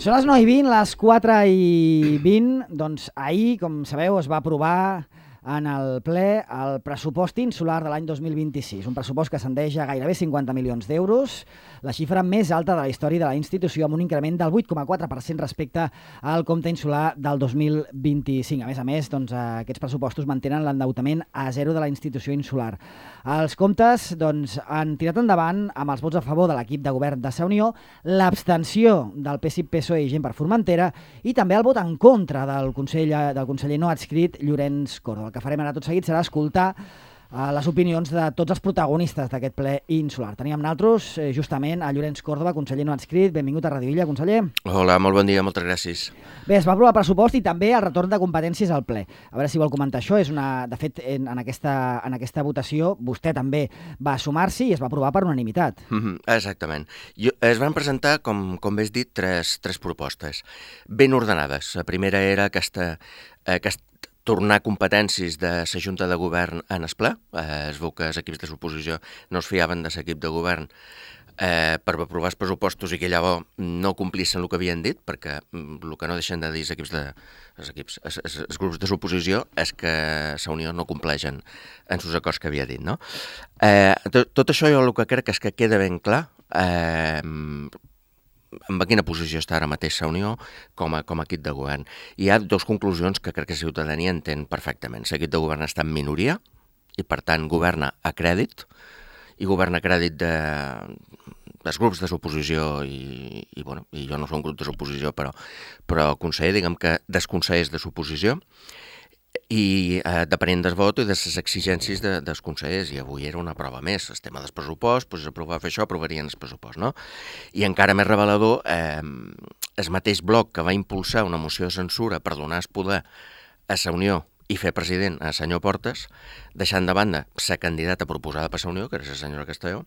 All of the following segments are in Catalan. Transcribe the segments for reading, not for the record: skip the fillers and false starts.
Són les 9:20, les 4:20. Doncs ahir, com sabeu, es va aprovar en el ple el pressupost insular de l'any 2026, un pressupost que ascendeix a gairebé 50 milions d'euros, la xifra més alta de la història de la institució, amb un increment del 8,4% respecte al compte insular del 2025. A més, doncs, aquests pressupostos mantenen l'endeutament a zero de la institució insular. Els comptes doncs, han tirat endavant amb els vots a favor de l'equip de govern de Sa Unió, l'abstenció del PSIC, PSOE i Gent per Formentera i també el vot en contra del conseller no adscrit Llorenç Córdoba. El que farem ara tot seguit serà escoltar les opinions de tots els protagonistes d'aquest ple insular. Tenim amb nosaltres justament a Llorenç Córdoba, conseller no adscrit. Benvingut a Radio Illa, conseller. Hola, molt bon dia, moltes gràcies. Bé, es va aprovar el pressupost i també el retorn de competències al ple. A veure si vol comentar això. De fet, en aquesta votació vostè també va sumar-s'hi i es va aprovar per unanimitat. Exactament. Es van presentar, com bé has dit, tres propostes ben ordenades. La primera era aquesta tornar competències de la Junta de Govern en el ple. Es veu que els equips de l'oposició no es fiaven de l'equip de govern per aprovar els pressupostos i que llavors no complissin el que havien dit, perquè el que no deixen de dir els grups de l'oposició és que la Unió no compleixen en els acords que havia dit, no? Tot això jo el que crec és que queda ben clar en quina posició està ara mateix la Unió com a equip de govern. Hi ha dues conclusions que crec que la ciutadania entén perfectament. L'equip de govern està en minoria i, per tant, governa a crèdit, i governa a crèdit dels grups de l'oposició i jo no soc un grup de l'oposició, però conseller, diguem que dels consellers de l'oposició, i depenent del vot i de les exigències dels consellers, i avui era una prova més, el tema del pressupost, doncs aprovar fer això, aprovarien el pressupost, no? I encara més revelador, el mateix bloc que va impulsar una moció de censura per donar el poder a la Unió i fer president al senyor Portes, deixant de banda la candidata proposada per la Unió, que era la senyora Castelló,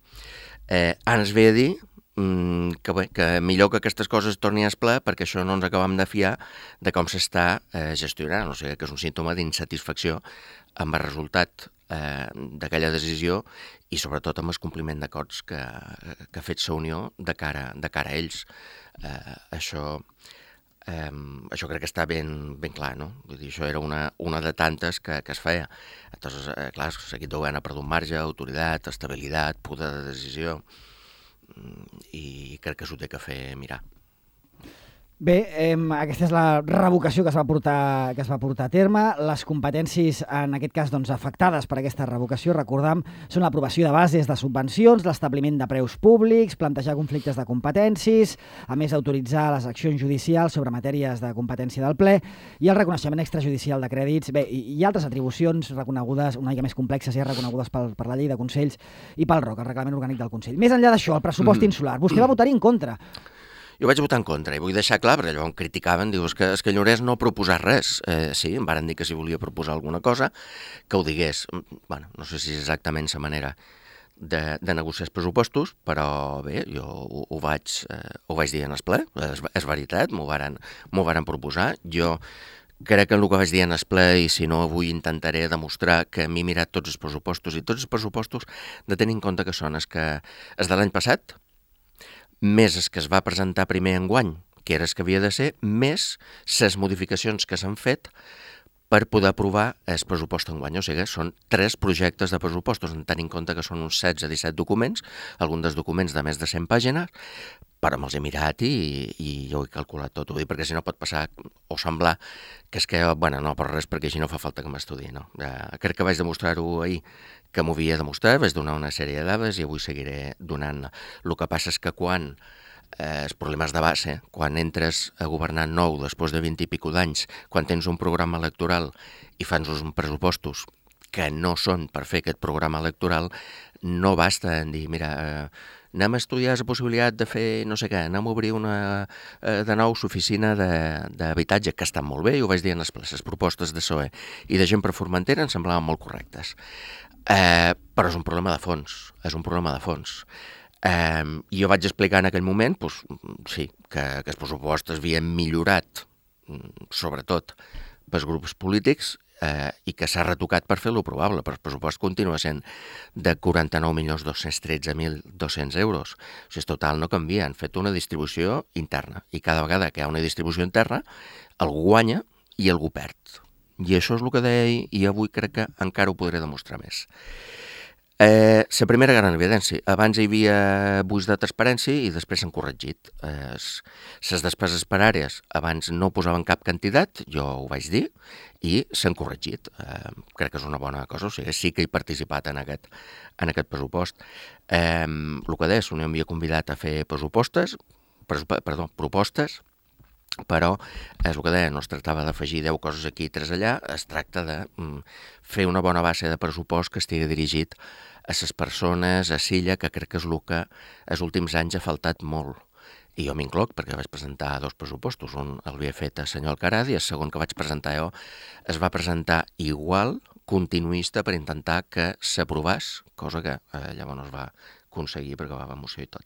ens ve a dir que millor que aquestes coses tornin a ple perquè això no ens acabem de fiar de com s'està gestionant, o sigui que és un símptoma d'insatisfacció amb el resultat d'aquella decisió i sobretot amb el compliment d'acords que ha fet la Unió de cara a ells. Això crec que està ben clar, no? Vull dir, això era una de tantes que es feia. Entonces, clar, l'equip de govern ha perdut marge, autoritat, estabilitat, poder de decisió, i crec que s'ho té que fer mirar. Bé, aquesta és la revocació que es va portar a terme. Les competències, en aquest cas, doncs, afectades per aquesta revocació, recordam, són l'aprovació de bases de subvencions, l'establiment de preus públics, plantejar conflictes de competències, a més d'autoritzar les accions judicials sobre matèries de competència del ple i el reconeixement extrajudicial de crèdits. Bé, hi ha altres atribucions reconegudes, una mica més complexes, ja reconegudes per la llei de Consells i pel ROC, el Reglament Orgànic del Consell. Més enllà d'això, el pressupost insular, vostè va votar-hi en contra. Jo vaig votar en contra i vull deixar clar, perquè llavors em criticaven, diu, és que Llorenç no ha proposat res. Sí, em varen dir que si volia proposar alguna cosa, que ho digués. Bueno, no sé si és exactament la manera de negociar els pressupostos, però bé, jo ho vaig dir en el ple, és veritat, m'ho varen proposar. Jo crec que en el que vaig dir en el ple, i si no avui intentaré demostrar que m'he mirat tots els pressupostos, i tots els pressupostos de tenir en compte que són els de l'any passat, més el que es va presentar primer enguany, que era el que havia de ser, més les modificacions que s'han fet per poder aprovar el pressupost enguany. O sigui, són 3 projectes de pressupostos, en tenint en compte que són uns 16-17 documents, alguns dels documents de més de 100 pàgines, però me'ls he mirat i jo ho he calculat tot, perquè si no pot passar o semblar que és que, no per res, perquè així no fa falta que m'estudiï, no? Crec que vaig demostrar-ho ahir, que m'ho havia demostrat, vaig donar una sèrie de dades i avui seguiré donant. El que passa és que quan els problemes de base, quan entres a governar nou després de 20 i pico d'anys, quan tens un programa electoral i fas uns pressupostos que no són per fer aquest programa electoral, no basta en dir, mira, anem a estudiar la possibilitat de fer no sé què, anem a obrir de nou l'oficina d'habitatge, que estan molt bé, i ho vaig dir en les propostes de PSOE i de Gent per Formentera em semblaven molt correctes. Però és un problema de fons, I jo vaig explicar en aquell moment, sí, que els pressupostos havien millorat, sobretot pels grups polítics, i que s'ha retocat per fer-lo probable, però el pressupost continua sent de 49.213.200 euros. O sigui, total no canvia, han fet una distribució interna, i cada vegada que hi ha una distribució interna, algú guanya i algú perd. I això és el que deia ahir, i avui crec que encara ho podré demostrar més. La primera gran evidència. Abans hi havia buits de transparència i després s'han corregit. Les despeses per àrees abans no posaven cap quantitat, jo ho vaig dir, i s'han corregit. Crec que és una bona cosa, o sigui, sí que he participat en aquest pressupost. El que deia, Unió m'havia convidat a fer propostes, però és el que deia, no es tractava d'afegir 10 coses aquí i 3 allà, es tracta de fer una bona base de pressupost que estigui dirigit a les persones, a Silla, que crec que és el que els últims anys ha faltat molt. I jo m'incloc perquè vaig presentar 2 pressupostos, un l'havia fet el senyor Alcaraz i el segon que vaig presentar jo es va presentar igual, continuista, per intentar que s'aprovés, cosa que llavors no es va aconseguir perquè va haver moció i tot.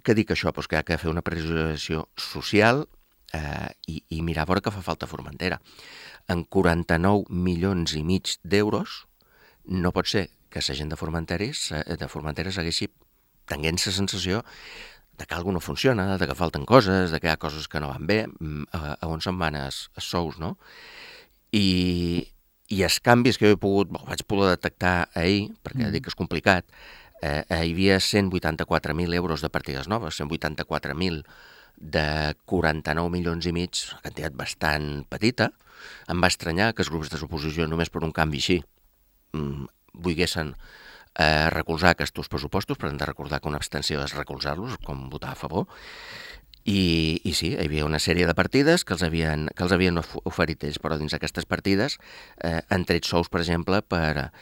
Què dic això? Pues que hi ha que fer una priorització social i mirar a veure què fa falta a Formentera. En 49 milions i mig d'euros no pot ser que la gent de Formentera segueixi tenint la sensació de que alguna no funciona, de que falten coses, de que hi ha coses que no van bé, a on se'n van els sous, no? I els canvis que vaig poder detectar ahir, perquè dic que és complicat, hi havia 184.000 euros de partides noves, 184.000 de 49 milions i mig, una quantitat bastant petita. Em va estranyar que els grups de l'oposició, només per un canvi així, volguessin recolzar aquests pressupostos, però hem de recordar que una abstenció és recolzar-los, com votar a favor. I sí, hi havia una sèrie de partides que els havien oferit ells, però dins d'aquestes partides han tret sous, per exemple, per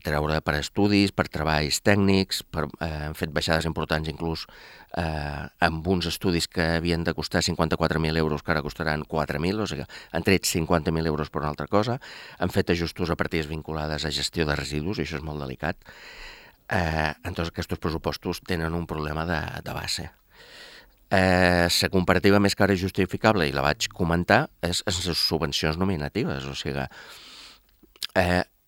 treure per estudis, per treballs tècnics, han fet baixades importants inclús amb uns estudis que havien de costar 54.000 euros, que ara costaran 4.000, o sigui, han tret 50.000 euros per una altra cosa, han fet ajustos a partides vinculades a gestió de residus, i això és molt delicat. Entonces aquests pressupostos tenen un problema de base. La comparativa més cara i justificable, i la vaig comentar, és les subvencions nominatives, o sigui,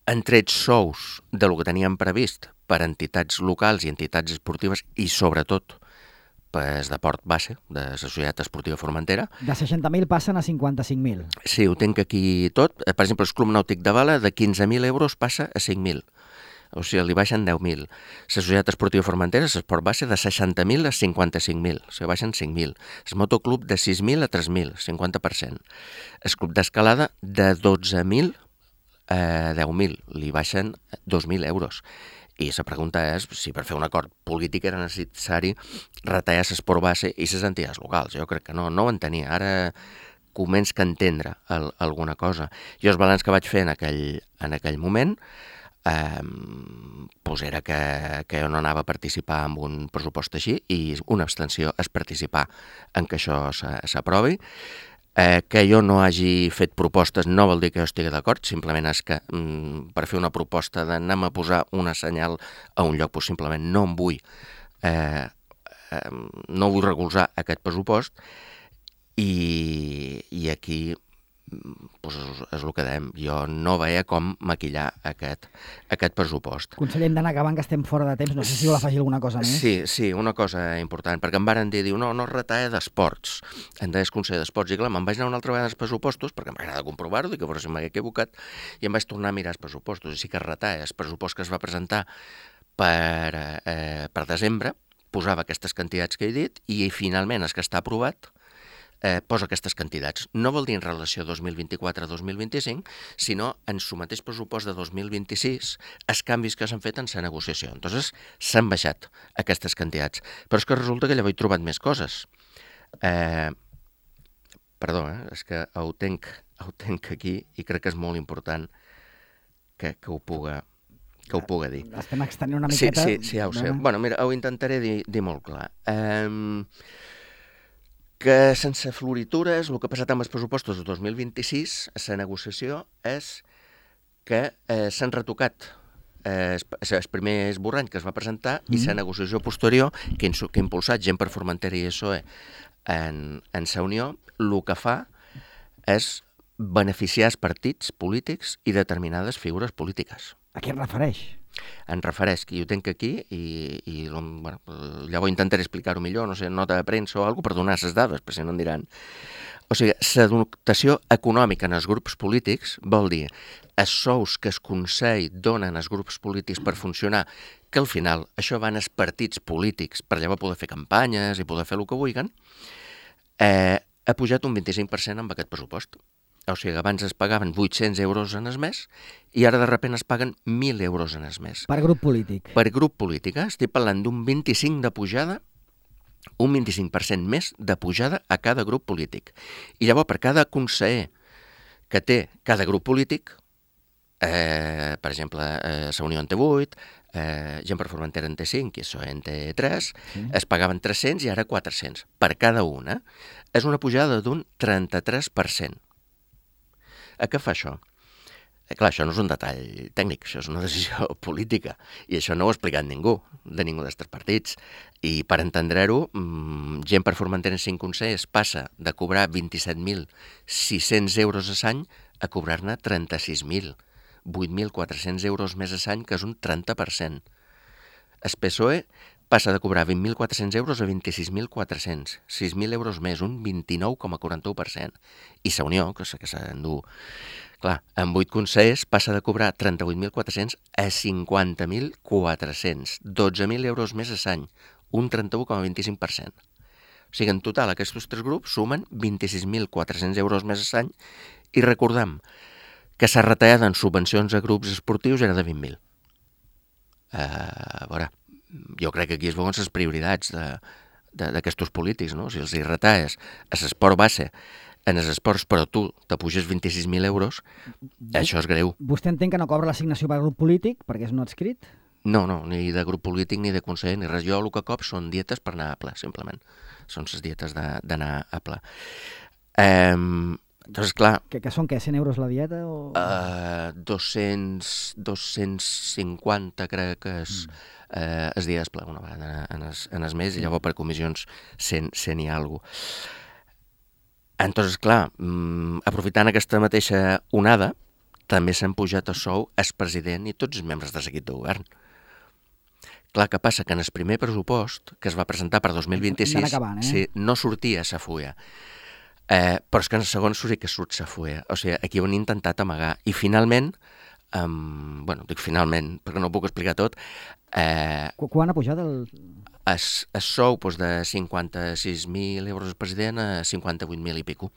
han tret sous del que teníem previst per entitats locals i entitats esportives i sobretot per de port base de la Societat Esportiva Formentera. De 60.000 passen a 55.000. Sí, ho tinc aquí tot. Per exemple, el Club Nàutic de Bala de 15.000 euros passa a 5.000. O sigui, li baixen 10.000. La Societat Esportiva Formentera, l'esport base, de 60.000 a 55.000. O sigui, baixen 5.000. El motoclub de 6.000 a 3.000, 50%. El club d'escalada de 12.000 a 10.000, li baixen 2.000 euros. I la pregunta és si per fer un acord polític era necessari retallar l'esport base i les entitats locals. Jo crec que no ho entenia. Ara començo a entendre alguna cosa. Jo el balanç que vaig fer en aquell moment era que jo no anava a participar en un pressupost així i una abstenció és participar en que això s'aprovi. Que jo no hagi fet propostes no vol dir que jo estigui d'acord, simplement és que per fer una proposta d'anar a posar una senyal a un lloc, simplement no em vull recolzar aquest pressupost i aquí és el que dèiem. Jo no veia com maquillar aquest pressupost. Conseller, hem d'anar acabant, que estem fora de temps. No sé si vol afegir alguna cosa més. Sí, una cosa important, perquè em varen dir, no retalla d'esports. Em deies conseller d'esports, i clar, me'n vaig anar una altra vegada als pressupostos, perquè m'agrada comprovar-ho, i que veure si m'hagué equivocat, i em vaig tornar a mirar els pressupostos. I sí que retalla el pressupost que es va presentar per desembre, posava aquestes quantitats que he dit, i finalment el que està aprovat posa aquestes quantitats. No vol dir en relació 2024 a 2025, sinó en el mateix pressupost de 2026 els canvis que s'han fet en la negociació. Entonces, s'han baixat aquestes quantitats. Però és que resulta que llavors he trobat més coses. Perdó, és que ho tenc aquí i crec que és molt important que ho puga dir. Estem extenint una miqueta. Sí, ja ho sé. Bueno, mira, ho intentaré dir molt clar. Que sense floritures, el que ha passat amb els pressupostos de 2026, la negociació és que s'han retocat el primer esborrany que es va presentar i la negociació posterior que ha impulsat gent per Formentera i PSOE en la Unió, el que fa és beneficiar els partits polítics i determinades figures polítiques. A què es refereix? Em refereix, que jo tinc aquí i bueno, llavors intentaré explicar-ho millor, no sé, nota de premsa o alguna cosa per donar les dades, perquè si no em diran. O sigui, la dotació econòmica en els grups polítics vol dir els sous que el Consell donen als grups polítics per funcionar, que al final això van als partits polítics per llavors poder fer campanyes i poder fer el que vulguin, ha pujat un 25% amb aquest pressupost. O sigui, abans es pagaven 800 euros en el mes i ara de sobte es paguen 1.000 euros en el mes. Per grup polític. Per grup polític, estic parlant d'un 25% de pujada, un 25% més de pujada a cada grup polític. I llavors, per cada conseller que té cada grup polític, per exemple, la Unió en té 8, Gent per Formentera en té 5 i això en té 3, es pagaven 300 i ara 400 per cada una. És una pujada d'un 33%. A què fa això? Clar, això no és un detall tècnic, això és una decisió política i això no ho ha explicat ningú d'estos partits. I per entendre-ho, Gent per Formentera en 5 consells passa de cobrar 27.600 euros a l'any a cobrar-ne 36.000, 8.400 euros més a l'any, que és un 30%. El PSOE passa de cobrar 20.400 euros a 26.400, 6.000 euros més, un 29,41%. I la Unió, que s'endú, clar, amb 8 consells passa de cobrar 38.400 a 50.400, 12.000 euros més a l'any, un 31,25%. O sigui, en total, aquests 3 grups sumen 26.400 euros més a l'any i recordem que la retallada en subvencions a grups esportius era de 20.000. A veure, jo crec que aquí es veuen les prioritats d'aquests polítics, no? Si els hi retalles a l'esport base, en els esports, però tu te puges 26.000 euros, això és greu. Vostè entén que no cobra l'assignació per grup polític perquè és no adscrit? No, ni de grup polític, ni de conseller, ni res. Jo el que cop són dietes per anar a ple, simplement. Són les dietes d'anar a ple. Doncs, clar... Que són, què, 100 euros la dieta? O... 250, crec que és... es dia d'esplà una vegada en el mes i llavors per comissions 100 i alguna cosa. Entonces, clar, aprofitant aquesta mateixa onada, també s'han pujat el sou el president i tots els membres de l'equip de govern. Clar, què passa? Que en el primer pressupost que es va presentar per 2026 no sortia la fulla. Però és que en el segon sí que surt la fulla. O sigui, aquí ho han intentat amagar. I finalment, bueno, dic finalment, perquè no ho puc explicar tot. Quan ha pujat el sou de 56.000 euros el president a 58.000 i pico.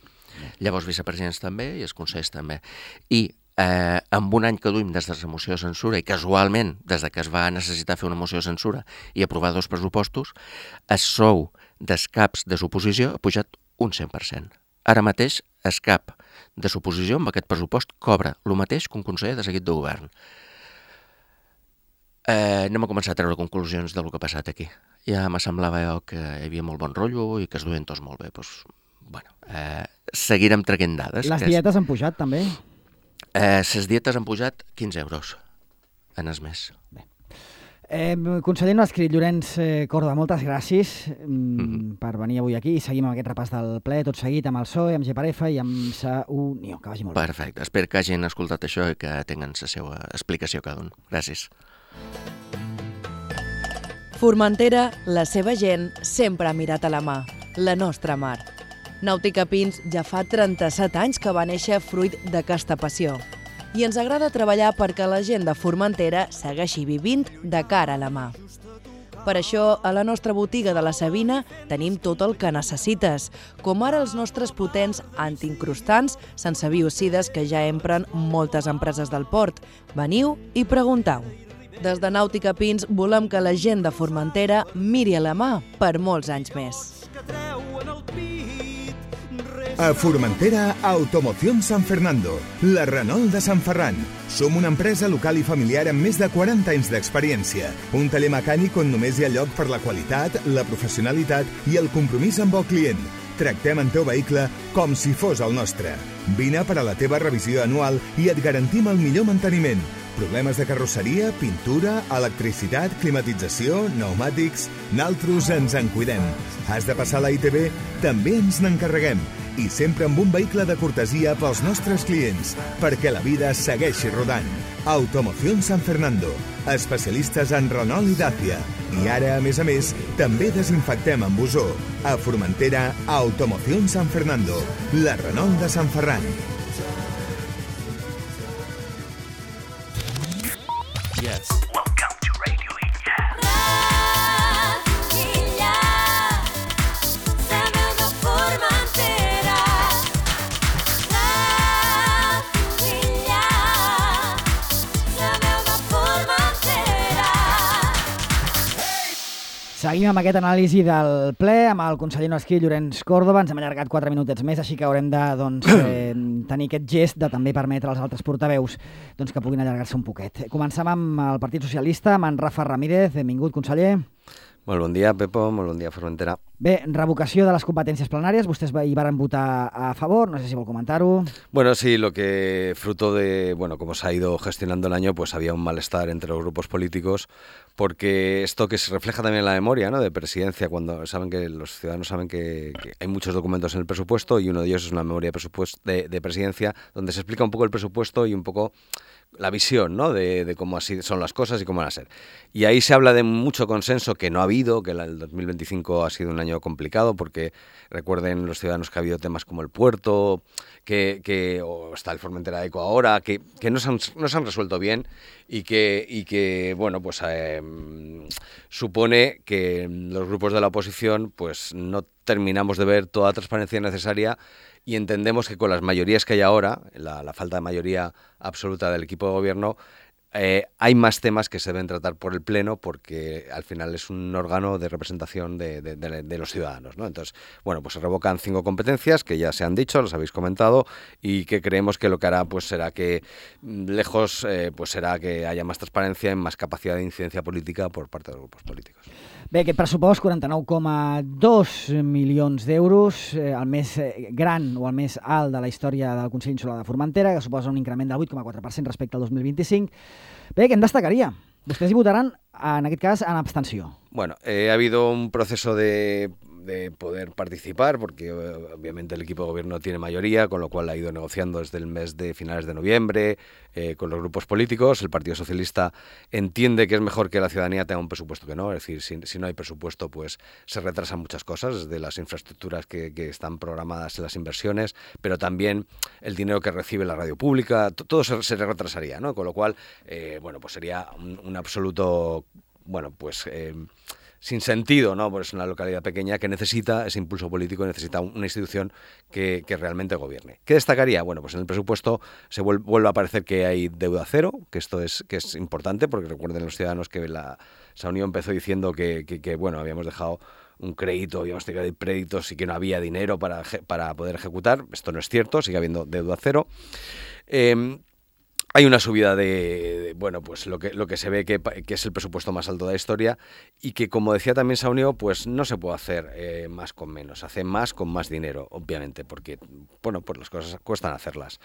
Llavors vicepresidents també i els consells també. I amb un any que duim des de la moció de censura i casualment, des que es va necessitar fer una moció de censura i aprovar 2 pressupostos, el sou dels caps de l'oposició ha pujat un 100%. Ara mateix el cap de l'oposició amb aquest pressupost cobra el mateix que un conseller de l'equip de govern. Anem a començar a treure conclusions del que ha passat aquí. Ja me semblava que hi havia molt bon rotllo i que es duien tots molt bé. Doncs, bueno, seguirem traient dades. Les dietes han pujat també? Les dietes han pujat 15 euros en el mes. Bé. Conseller no adscrit, Llorenç Córdoba, moltes gràcies per venir avui aquí i seguim amb aquest repàs del ple, tot seguit amb el PSOE, amb GPRF i amb la Unió. Que vagi molt bé. Perfecte. Espero que hagin escoltat això i que tinguin la seva explicació cada un. Gràcies. Formentera, la seva gent sempre ha mirat a la mà, la nostra mar. Nàutica Pins ja fa 37 anys que va néixer fruit d'aquesta passió. I ens agrada treballar perquè la gent de Formentera segueixi vivint de cara a la mà. Per això, a la nostra botiga de la Sabina tenim tot el que necessites, com ara els nostres potents antiincrustants sense biocides que ja empren moltes empreses del port. Veniu i preguntau. Des de Nàutica Pins volem que la gent de Formentera miri a la mà per molts anys més. A Formentera, Automoción San Fernando, la Renault de Sant Ferran. Som una empresa local i familiar amb més de 40 anys d'experiència. Un taller mecànic on només hi ha lloc per la qualitat, la professionalitat i el compromís amb el client. Tractem el teu vehicle com si fos el nostre. Vine per a la teva revisió anual i et garantim el millor manteniment. Problemes de carrosseria, pintura, electricitat, climatització, pneumàtics... Naltros ens en cuidem. Has de passar a la ITV? També ens n'encarreguem. I sempre amb un vehicle de cortesia pels nostres clients, perquè la vida segueixi rodant. Automoción San Fernando, especialistes en Renault i Dacia. I ara, a més, també desinfectem amb ozó. A Formentera, Automoción San Fernando, la Renault de Sant Ferran. Yes. Welcome to Radio Illa. Radio Illa, la veu de Formentera. Radio Illa, la veu de Formentera. Seguim amb aquest anàlisi del ple amb el conseller no escrit Llorenç Córdoba. Ens hem allargat 4 minutets més, així que haurem de tenir aquest gest de també permetre als altres portaveus que puguin allargar-se un poquet. Comencem amb el Partit Socialista, amb en Rafa Ramírez. Benvingut, conseller. Molt bon dia, Pepo. Molt bon dia, Formentera. Bé, revocació de les competències plenàries. Vostès hi varen votar a favor. No sé si vol comentar-ho. Bueno, sí, lo que fruto de, cómo se ha ido gestionando el año, pues había un malestar entre los grupos políticos, porque esto que se refleja también en la memoria, ¿no?, de presidencia, cuando saben que los ciudadanos saben que hay muchos documentos en el presupuesto y uno de ellos es una memoria de presidencia, donde se explica un poco el presupuesto y un poco la visión, ¿no?, de cómo así son las cosas y cómo van a ser. Y ahí se habla de mucho consenso que no ha habido, que el 2025 ha sido un año complicado, porque recuerden los ciudadanos que ha habido temas como el puerto, o está el Formentera Eco ahora, que no se han resuelto bien y que supone que los grupos de la oposición pues no terminamos de ver toda la transparencia necesaria. Y entendemos que con las mayorías que hay ahora, la falta de mayoría absoluta del equipo de gobierno, hay más temas que se deben tratar por el Pleno, porque al final es un órgano de representación de los ciudadanos, ¿no? Entonces, pues se revocan 5 competencias que ya se han dicho, las habéis comentado, y que creemos que lo que hará pues será que será que haya más transparencia y más capacidad de incidencia política por parte de los grupos políticos. Bé, aquest pressupost, 49,2 milions d'euros, el més gran o el més alt de la història del Consell Insular de Formentera, que suposa un increment del 8,4% respecte al 2025. Bé, què en destacaria? Vostès hi votaran, en aquest cas, en abstenció. Bueno, ha habido un proceso de poder participar, porque obviamente el equipo de gobierno tiene mayoría, con lo cual ha ido negociando desde el mes de finales de noviembre con los grupos políticos. El Partido Socialista entiende que es mejor que la ciudadanía tenga un presupuesto que no, es decir, si no hay presupuesto, pues se retrasan muchas cosas, desde las infraestructuras que están programadas en las inversiones, pero también el dinero que recibe la radio pública, todo se retrasaría, ¿no? Con lo cual, pues sería un absoluto, sin sentido, ¿no? Porque es una localidad pequeña que necesita ese impulso político, necesita una institución que realmente gobierne. ¿Qué destacaría? Pues en el presupuesto se vuelve a aparecer que hay deuda cero, que esto es importante, porque recuerden los ciudadanos que esa unión empezó diciendo que habíamos dejado un crédito, habíamos tenido créditos y que no había dinero para poder ejecutar. Esto no es cierto, sigue habiendo deuda cero. Hay una subida pues lo que se ve que es el presupuesto más alto de la historia, y que, como decía también Saunio, pues no se puede hacer más con menos, hace más con más dinero, obviamente, porque pues las cosas cuestan hacerlas.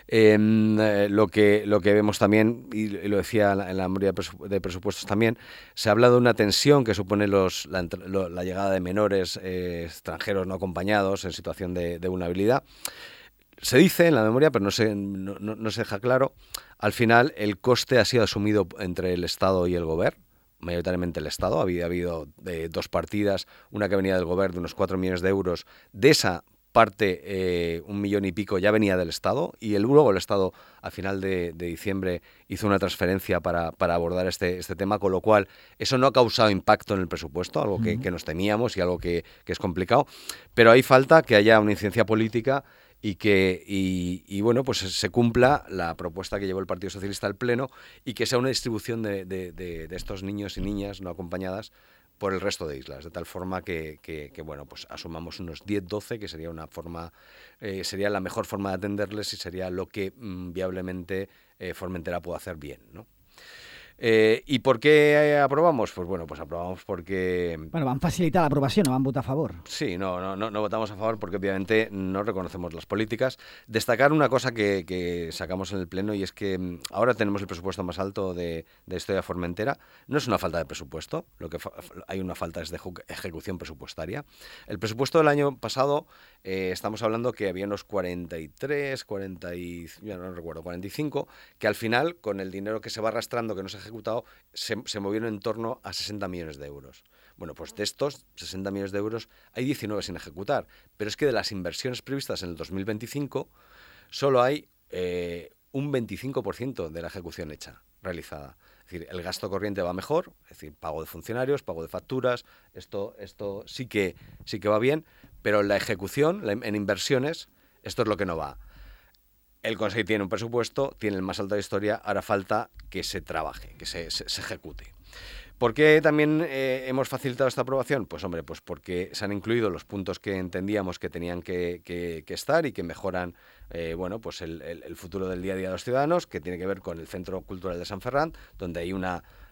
Lo que vemos también, y lo decía en la memoria de presupuestos también, se habla de una tensión que supone la llegada de menores extranjeros no acompañados en situación de vulnerabilidad. Se dice en la memoria, pero no se deja claro, al final el coste ha sido asumido entre el Estado y el Gobierno, mayoritariamente el Estado. Había habido 2 partidas, una que venía del Gobierno de unos 4 millones de euros. De esa parte, 1 millón y pico ya venía del Estado, y luego el Estado a final de diciembre hizo una transferencia para abordar este tema, con lo cual eso no ha causado impacto en el presupuesto, algo que nos temíamos y algo que es complicado, pero ahí falta que haya una incidencia política y pues se cumpla la propuesta que llevó el Partido Socialista al Pleno, y que sea una distribución de estos niños y niñas no acompañadas por el resto de islas, de tal forma que pues asumamos unos 10-12, que sería sería la mejor forma de atenderles y sería lo que viablemente Formentera puede hacer bien, ¿no? ¿Y por qué aprobamos? Pues bueno, pues aprobamos porque... Bueno, van facilitar l'aprovació, no van votar a favor. Sí, no votamos a favor porque obviamente no reconocemos las políticas. Destacar una cosa que sacamos en el Pleno, y es que ahora tenemos el presupuesto más alto de historia Formentera. No es una falta de presupuesto, hay una falta es de ejecución presupuestaria. El presupuesto del año pasado, estamos hablando que había unos 43, 40 ya no recuerdo, 45, que al final, con el dinero que se va arrastrando, que no se ha ejecutado, se movieron en torno a 60 millones de euros. Bueno, pues de estos 60 millones de euros hay 19 sin ejecutar, pero es que de las inversiones previstas en el 2025 solo hay un 25% de la ejecución realizada. Es decir, el gasto corriente va mejor, es decir, pago de funcionarios, pago de facturas, esto sí que va bien, pero la ejecución, en inversiones, esto es lo que no va. El Consejo tiene un presupuesto, tiene el más alto de historia, ahora falta que se trabaje, que se ejecute. ¿Por qué también hemos facilitado esta aprobación? Pues hombre, pues porque se han incluido los puntos que entendíamos que tenían que estar y que mejoran pues el futuro del día a día de los ciudadanos, que tiene que ver con el Centro Cultural de San Ferran, donde hay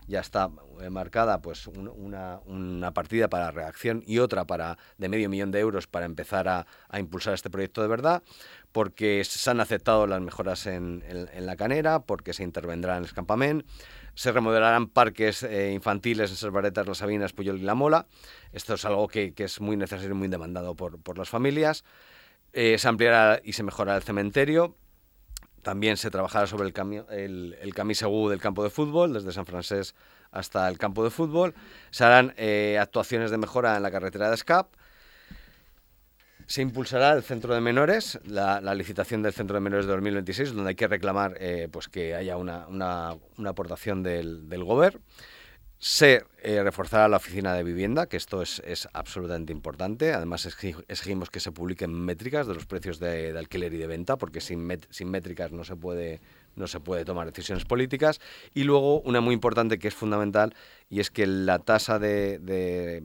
ya está marcada pues una partida para redacción y otra de 500.000 de euros para empezar a impulsar este proyecto de verdad, porque se han aceptado las mejoras en la canera, porque se intervendrá en el campamento, se remodelarán parques infantiles en Servaretas, Las Sabinas, Puyol y La Mola. Esto es algo que es muy necesario y muy demandado por las familias. Se ampliará y se mejorará el cementerio. También se trabajará sobre el camí segur del campo de fútbol, desde San Francés hasta el campo de fútbol. Se harán actuaciones de mejora en la carretera de Escap. Se impulsará el centro de menores, la licitación del centro de menores de 2026, donde hay que reclamar pues que haya una aportación del Gobierno. Se reforzará la oficina de vivienda, que esto es absolutamente importante. Además, exigimos que se publiquen métricas de los precios de alquiler y de venta, porque sin métricas no se puede tomar decisiones políticas. Y luego, una muy importante que es fundamental, y es que la tasa de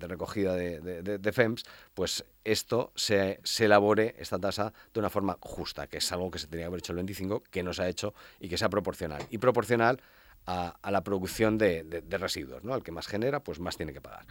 recogida de FEMS, pues esto se elabore, esta tasa, de una forma justa, que es algo que se tenía que haber hecho el 25, que no se ha hecho, y que sea proporcional. Y proporcional a la producción de residuos, ¿no? El que más genera, pues más tiene que pagar.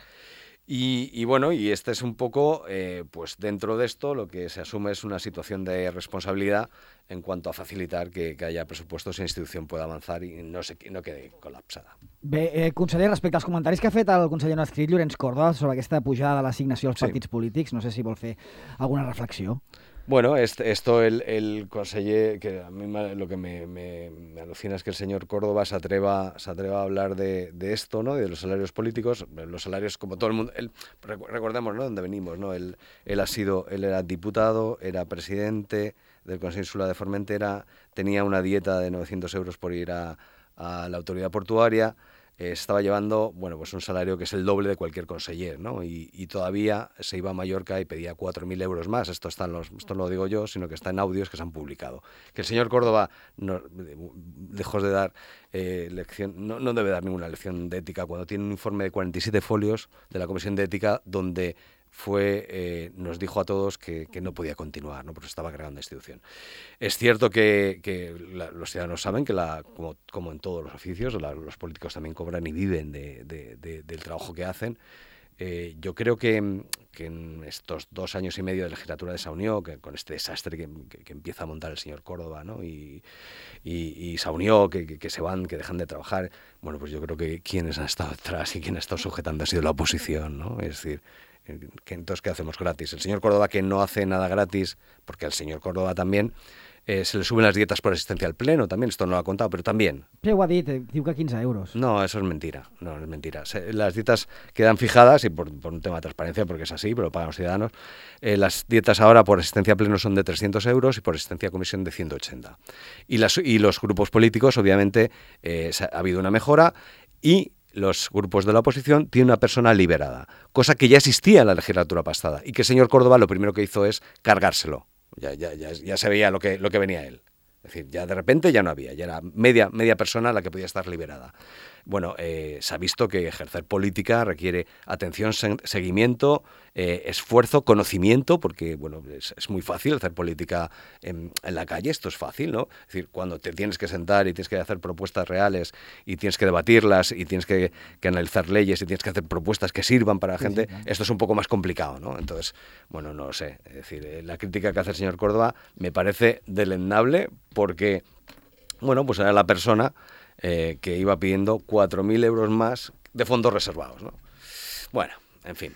Y bueno, y este es un poco, pues dentro de esto, lo que se asume es una situación de responsabilidad en cuanto a facilitar que haya presupuestos y la institución pueda avanzar i no quede col·lapsada. Bé, conseller, respecte als comentaris que ha fet el conseller no adscrit Llorenç Córdoba sobre aquesta pujada de l'assignació als partits polítics, no sé si vol fer alguna reflexió. Bueno, esto el conseller, que a mí lo que me alucina es que el señor Córdoba se atreva a hablar de esto, ¿no? De los salarios políticos, los salarios como todo el mundo. Recordemos, ¿no? Dónde venimos, ¿no? Él era diputado, era presidente del Consejo Insular de Formentera, tenía una dieta de 900 euros por ir a la autoridad portuaria. Estaba llevando, bueno, pues un salario que es el doble de cualquier conseller, ¿no? Y todavía se iba a Mallorca y pedía 4.000 euros más. Esto no lo digo yo, sino que está en audios que se han publicado. Que el señor Córdoba, lejos de dar lección, no debe dar ninguna lección de ética cuando tiene un informe de 47 folios de la Comisión de Ética donde nos dijo a todos que no podía continuar, ¿no? Porque estaba creando una institución. Es cierto que los ciudadanos saben que, como en todos los oficios, los políticos también cobran y viven del trabajo que hacen. Yo creo que en estos 2 años y medio de legislatura de Saunió, que con este desastre que empieza a montar el señor Córdoba, ¿no? y Saunió, que se van, que dejan de trabajar, bueno, pues yo creo que quienes han estado detrás y quienes han estado sujetando ha sido la oposición, ¿no? Es decir, entonces, ¿qué hacemos gratis? El señor Córdoba, que no hace nada gratis, porque al señor Córdoba también se le suben las dietas por asistencia al pleno, también, esto no lo ha contado, pero también. Sí, ho ha dit, diu que 15 euros. No, eso es mentira, no es mentira. Las dietas quedan fijadas, y por un tema de transparencia, porque es así, pero lo pagan los ciudadanos. Las dietas ahora por asistencia a pleno son de 300 euros y por asistencia a comisión de 180. Y los grupos políticos, obviamente, ha habido una mejora, y los grupos de la oposición tienen una persona liberada, cosa que ya existía en la legislatura pasada y que el señor Córdoba lo primero que hizo es cargárselo. Ya se veía lo que venía él. Es decir, ya de repente ya no había, ya era media persona la que podía estar liberada. bueno, se ha visto que ejercer política requiere atención, seguimiento, esfuerzo, conocimiento, porque bueno, es muy fácil hacer política en la calle, esto es fácil, ¿no? Es decir, cuando te tienes que sentar y tienes que hacer propuestas reales y tienes que debatirlas y tienes que analizar leyes y tienes que hacer propuestas que sirvan para la gente, claro. esto es un poco más complicado, ¿no? Entonces, bueno, no lo sé. Es decir, la crítica que hace el señor Córdoba me parece deleznable porque, bueno, pues era la persona que iba pidiendo 4.000 euros más de fondos reservados, ¿no? Bueno, en fin.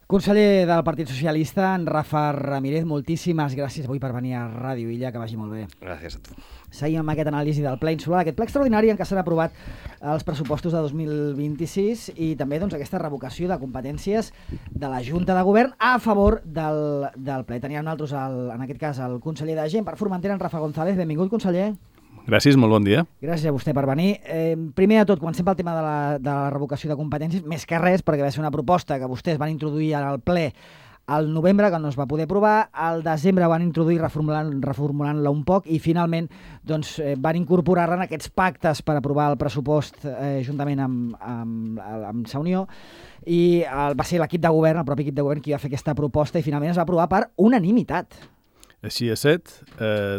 Conseller del Partit Socialista, en Rafa Ramírez, moltíssimes gràcies avui per venir a Ràdio Illa, que vagi molt bé. Gràcies a tu. Seguim amb aquest anàlisi del ple insular, aquest ple extraordinari en què s'han aprovat els pressupostos de 2026 i també doncs, aquesta revocació de competències de la Junta de Govern a favor del ple. Teníem nosaltres, en aquest cas, el conseller de Gent per Formentera, en Rafa González. Benvingut, conseller. Gràcies, molt bon dia. Gràcies a vostè per venir. Primer de tot, comencem pel tema de la revocació de competències, més que res, perquè va ser una proposta que vostès van introduir al ple al novembre, que no es va poder aprovar, al desembre van introduir reformulant-la un poc i finalment doncs, van incorporar-la en aquests pactes per aprovar el pressupost juntament amb Sa Unió i va ser l'equip de govern, el propi equip de govern, qui va fer aquesta proposta i finalment es va aprovar per unanimitat. Així és set,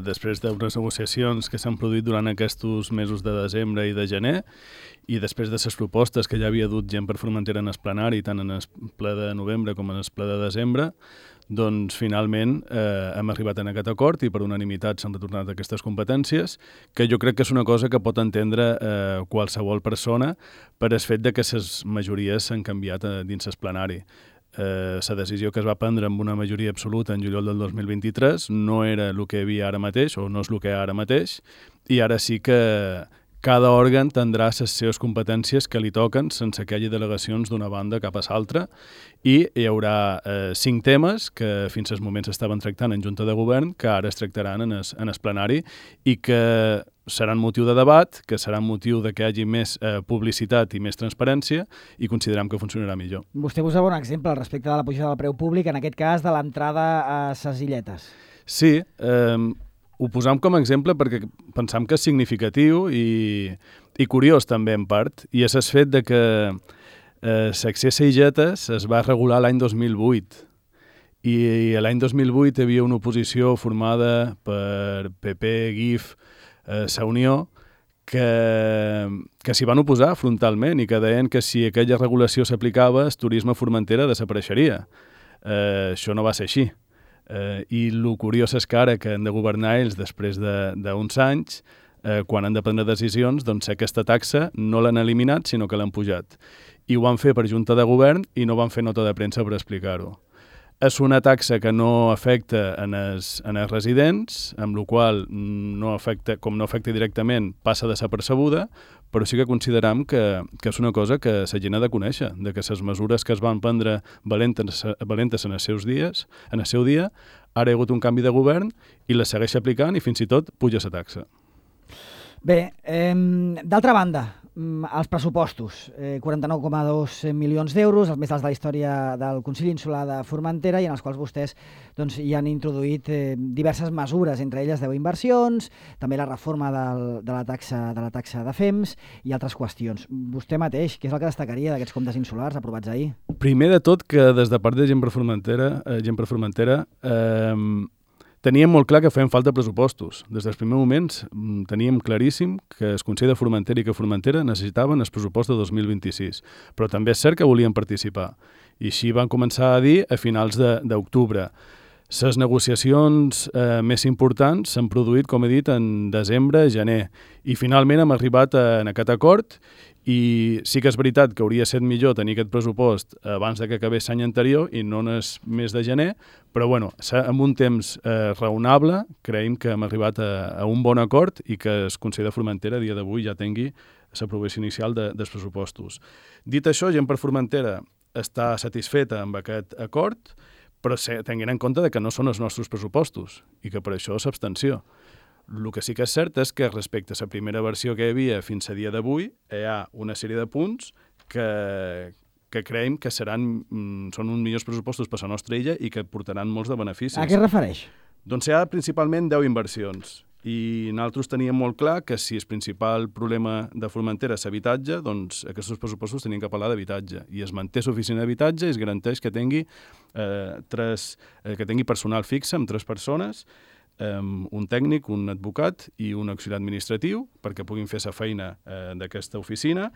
després d'unes negociacions que s'han produït durant aquests mesos de desembre i de gener i després de les propostes que ja havia dut Gent per Formentera en el plenari, tant en el ple de novembre com en el ple de desembre, doncs finalment hem arribat en aquest acord i per unanimitat s'han retornat aquestes competències, que jo crec que és una cosa que pot entendre qualsevol persona per el fet de que les majories s'han canviat dins el plenari. La decisió que es va prendre amb una majoria absoluta en juliol del 2023 no era el que hi havia ara mateix, o no és el que hi ha ara mateix, i ara sí que cada òrgan tindrà les seves competències que li toquen sense que hi hagi delegacions d'una banda cap a l'altra i hi haurà 5 temes que fins al moment s'estaven tractant en Junta de Govern que ara es tractaran en el plenari i que seran motiu de debat, que seran motiu de que hi hagi més publicitat i més transparència i considerem que funcionarà millor. Vostè posava un exemple respecte de la pujada del preu públic, en aquest cas de l'entrada a ses illetes. Sí, ho posam com a exemple perquè pensam que és significatiu i curiós també en part, i és el fet de que l'accés a illetes es va regular l'any 2008 i l'any 2008 hi havia una oposició formada per PP, GIF, Sa Unió, que s'hi van oposar frontalment i que deien que si aquella regulació s'aplicava, el turisme a Formentera desapareixeria. Això no va ser així. I el curiós és que ara que han de governar ells després d'uns anys, quan han de prendre decisions, doncs aquesta taxa no l'han eliminat, sinó que l'han pujat. I ho van fer per Junta de Govern i no van fer nota de premsa per explicar-ho. És una taxa que no afecta en els residents, amb la qual com no afecta directament, passa desapercebuda, però sí que consideram que és una cosa que la gent ha de conèixer, de que les mesures que es van prendre valentes en els seus dies, en el seu dia, ara hi ha hagut un canvi de govern i la segueix aplicant i fins i tot puja la taxa. Bé, d'altra banda, els pressupostos, 49,2 milions d'euros, els més alts de la història del Consell Insular de Formentera i en els quals vostès doncs, hi han introduït diverses mesures, entre elles 10 inversions, també la reforma de la taxa de FEMS i altres qüestions. Vostè mateix, què és el que destacaria d'aquests comptes insulars aprovats ahir? Primer de tot, que des de part de Gent per Formentera teníem molt clar que feien falta pressupostos. Des dels primers moments teníem claríssim que el Consell de Formentera i que Formentera necessitaven el pressupost de 2026, però també és cert que volien participar. I així van començar a dir a finals d'octubre. Les negociacions més importants s'han produït, com he dit, en desembre, gener, i finalment hem arribat en aquest acord i sí que és veritat que hauria estat millor tenir aquest pressupost abans de que acabés l'any anterior i no en el mes de gener, però bueno, amb un temps raonable creiem que hem arribat a un bon acord i que el Consell de Formentera a dia d'avui ja tingui l'aprovació inicial dels pressupostos. Dit això, Gent per Formentera està satisfeta amb aquest acord, però tenint en compte que no són els nostres pressupostos i que per això és abstenció. El que sí que és cert és que respecte a la primera versió que hi havia fins a dia d'avui hi ha una sèrie de punts que creiem que són uns millors pressupostos per a la nostra illa i que portaran molts de beneficis. A què es refereix? Doncs hi ha principalment 10 inversions. I nosaltres teníem molt clar que si el principal problema de Formentera és l'habitatge, doncs aquests pressupostos tenien que parlar d'habitatge. I es manté l'oficina d'habitatge i es garanteix que tingui, que tingui personal fixe amb 3 persones, un tècnic, un advocat i un auxiliar administratiu perquè puguin fer la feina d'aquesta oficina.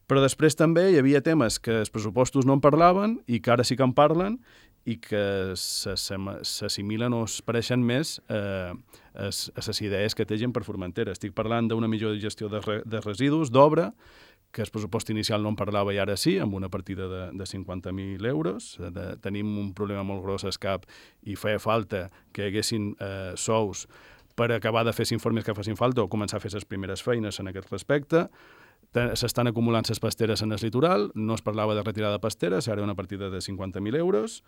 Però després també hi havia temes que els pressupostos no en parlaven i que ara sí que en parlen i que s'assimilen o es pareixen més a les idees que té Gent per Formentera. Estic parlant d'una millor gestió de residus, d'obra, que el pressupost inicial no en parlava i ara sí, amb una partida de 50.000 euros. Tenim un problema molt gros al CAP i feia falta que hi haguessin sous per acabar de fer els informes que facin falta o començar a fer les primeres feines en aquest respecte. S'estan acumulant les pasteres en el litoral, no es parlava de retirada de pasteres, ara una partida de 50.000 euros.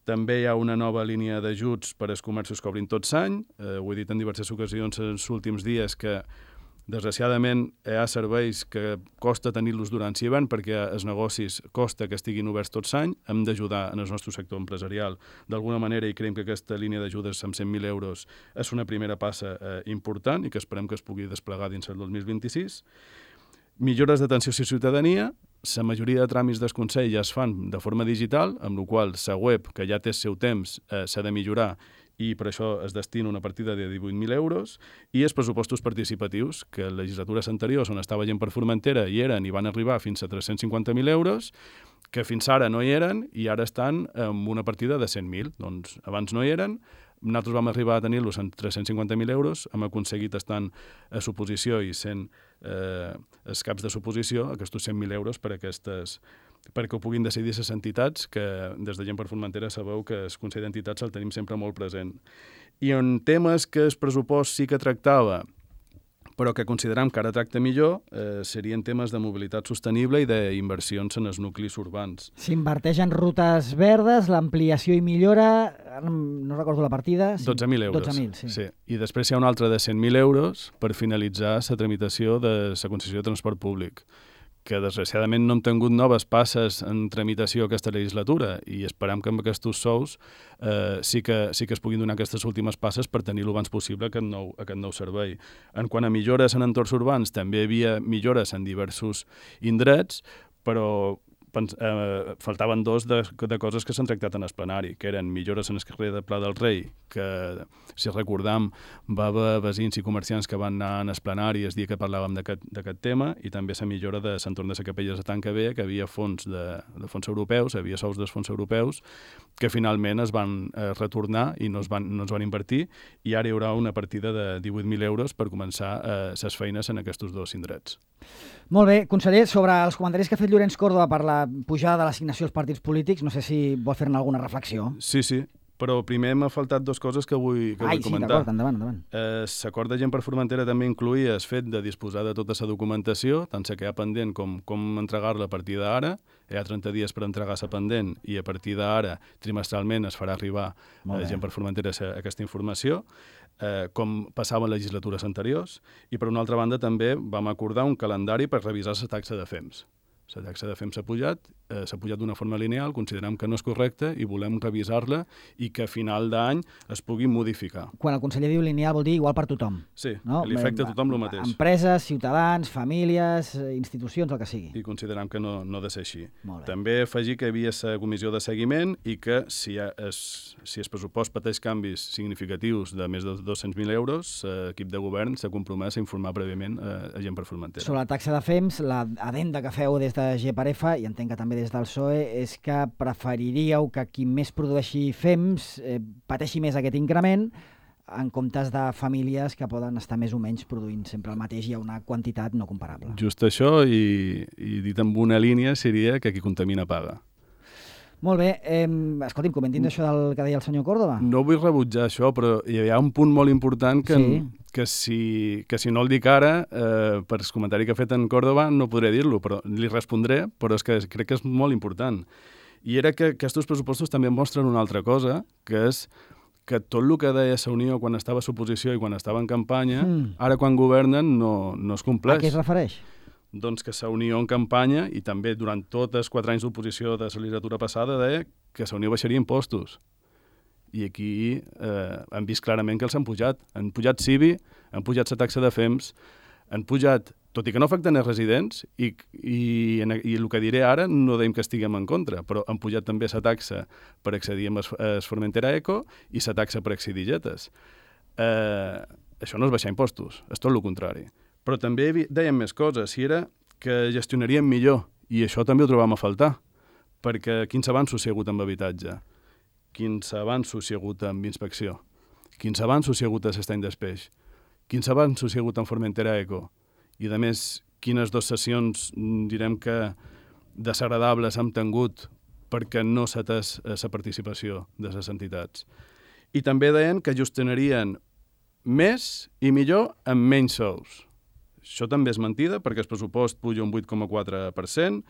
També hi ha una nova línia d'ajuts per als comerços que obrin tot l'any. Ho he dit en diverses ocasions en els últims dies que, desgraciadament, hi ha serveis que costa tenir-los durant l'hivern perquè els negocis costa que estiguin oberts tot l'any. Hem d'ajudar en el nostre sector empresarial d'alguna manera i creiem que aquesta línia d'ajudes amb 100.000 euros és una primera passa important i que esperem que es pugui desplegar dins el 2026. Millores d'atenció a la ciutadania. La majoria de tràmits del Consell ja es fan de forma digital, amb la qual la web, que ja té el seu temps, s'ha de millorar i per això es destina una partida de 18.000 euros, i els pressupostos participatius, que en legislatures anteriors, on estava Gent per Formentera, hi eren i van arribar fins a 350.000 euros, que fins ara no hi eren i ara estan amb una partida de 100.000. Doncs abans no hi eren, nosaltres vam arribar a tenir-los en 350.000 euros, hem aconseguit estar a suposició i sent els caps de suposició aquests 100.000 euros perquè ho puguin decidir les entitats, que des de Gent per Formentera sabeu que el Consell d'Entitats el tenim sempre molt present. I en temes que el pressupost sí que tractava, però que considerem que ara tracta millor, serien temes de mobilitat sostenible i d'inversions en els nuclis urbans. S'inverteix en rutes verdes, l'ampliació i millora, no recordo la partida... 12.000 euros. 12.000, sí. I després hi ha un altre de 100.000 euros per finalitzar la tramitació de la concessió de transport públic, que desgraciadament no hem tingut noves passes en tramitació aquesta legislatura i esperem que amb aquests sous sí que es puguin donar aquestes últimes passes per tenir l'abans possible aquest nou servei. En quant a millores en entorns urbans, també hi havia millores en diversos indrets, però faltaven 2 de coses que s'han tractat en el plenari, que eren millores en el carrer de Pla del Rei, que, si recordam, va haver veïns i comerciants que van anar en el plenari el dia que parlàvem d'aquest tema, i també la millora de l'entorn de la Capella de Tanca Vella, que havia fons de fons europeus, havia sous dels fons europeus, que finalment es van retornar i no es van invertir, i ara hi haurà una partida de 18.000 euros per començar les feines en aquests 2 indrets. Molt bé, conseller, sobre els comentaris que ha fet Llorenç Córdoba per la pujada de l'assignació als partits polítics, no sé si vol fer-ne alguna reflexió. Sí, però primer m'ha faltat 2 coses que vull comentar. Sí, d'acord, endavant. L'acord de Gent per Formentera també incluïa el fet de disposar de tota la documentació, tant la que hi ha pendent com entregar-la a partir d'ara. Hi ha 30 dies per entregar la pendent i a partir d'ara, trimestralment, es farà arribar a Gent per Formentera aquesta informació, com passava en legislatures anteriors. I per una altra banda també vam acordar un calendari per revisar la taxa de FEMS. La taxa de FEMS s'ha pujat d'una forma lineal, considerem que no és correcta i volem revisar-la i que a final d'any es pugui modificar. Quan el conseller diu lineal vol dir igual per tothom. Sí, no? li afecta a tothom el mateix. Empreses, ciutadans, famílies, institucions, el que sigui. I considerem que no ha de ser així. Molt bé. També afegir que hi havia la comissió de seguiment i que si el pressupost pateix canvis significatius de més de 200.000 euros, l'equip de govern s'ha compromès a informar prèviament a Gent per Formentera. Sobre la taxa de FEMS, l'adenda que feu des de GPAREFA, i entenc que també des del PSOE, és que preferiríeu que qui més produeixi FEMS pateixi més aquest increment en comptes de famílies que poden estar més o menys produint sempre el mateix i a una quantitat no comparable. Just això, i dit amb una línia, seria que qui contamina paga. Molt bé. Escolti'm, comentin això del que deia el senyor Córdoba. No vull rebutjar això, però hi ha un punt molt important que si no el dic ara, per el comentari que ha fet en Córdoba, no podré dir-lo, però li respondré, però és que crec que és molt important. I era que aquests pressupostos també mostren una altra cosa, que és que tot el que deia la Unió quan estava a l'oposició i quan estava en campanya, ara quan governen no es compleix. A què es refereix? Doncs que la Unió en campanya, i també durant tots els 4 anys d'oposició de la legislatura passada, deia que la Unió baixaria impostos. I aquí hem vist clarament que els han pujat. Han pujat CIBI, han pujat la taxa de FEMS, han pujat, tot i que no afecten els residents, i el que diré ara no deim que estiguem en contra, però han pujat també la taxa per accedir a Formentera Eco i la taxa per accedir a jetes. Això no és baixar impostos, és tot el contrari. Però també dèiem més coses, si era que gestionaríem millor, i això també ho trobam a faltar, perquè quins avanços hi ha hagut amb habitatge, quins avanços hi ha hagut amb inspecció, quins avanços hi ha hagut a l'estany d'Espeix, quins avanços hi ha hagut en Formentera Eco, i a més, quines 2 sessions, direm que desagradables hem tingut perquè no s'ha atès la participació de les entitats. I també deien que gestionarien més i millor amb menys sous. Això també és mentida, perquè el pressupost puja un 8,4%.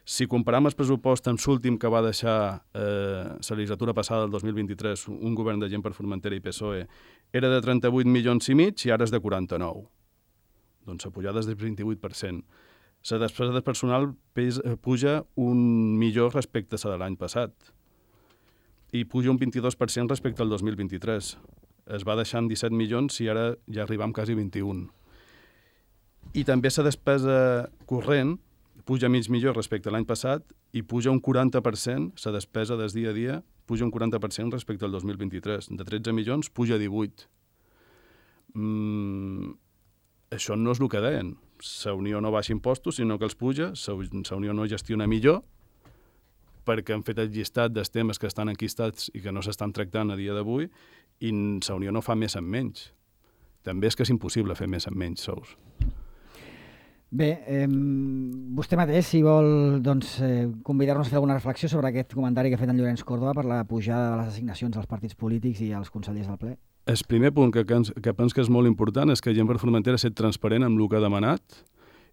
Si comparem el pressupost amb l'últim que va deixar la legislatura passada, el 2023, un govern de Gent per Formentera i PSOE, era de 38 milions i mig i ara és de 49. Doncs la pujada és del 28%. La despesa de personal puja un millor respecte a la de l'any passat i puja un 22% respecte al 2023. Es va deixar en 17 milions i ara ja arribam quasi 21. I també la despesa corrent puja mig millor respecte a l'any passat i puja un 40%, la despesa des dia a dia puja un 40% respecte al 2023. De 13 milions puja a 18. Això no és el que deien. La Unió no baixa impostos, sinó que els puja, la Unió no gestiona millor, perquè han fet el llistat dels temes que estan enquistats i que no s'estan tractant a dia d'avui, i la Unió no fa més amb menys. També és que és impossible fer més amb menys sous. Bé, vostè mateix, si vol convidar-nos a fer alguna reflexió sobre aquest comentari que ha fet en Llorenç Córdoba per la pujada de les assignacions als partits polítics i als consellers del ple. El primer punt que penso que és molt important és que Gent per Formentera ha estat transparent amb el que ha demanat